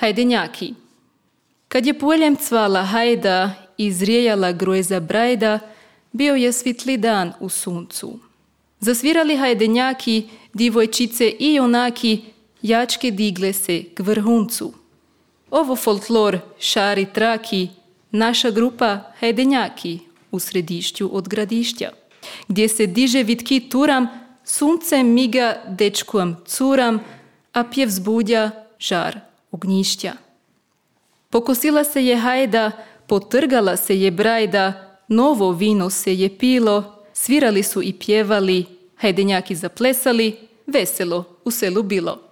Hajdenjaki. Kad je poljem cvala hajda i zrijejala grojza brajda, bio je svitli dan u suncu. Zasvirali hajdenjaki, divojčice i junaki, jačke digle se k vrhuncu. Ovo folklor šari traki, naša grupa hajdenjaki u središću od gradišća, gdje se diže vitki turam, sunce miga dečkom curam, a pjev zbudja žar ognjišća. Pokosila se je hajda, potrgala se je brajda, novo vino se je pilo, svirali su i pjevali, hajdenjaki zaplesali, veselo u selu bilo.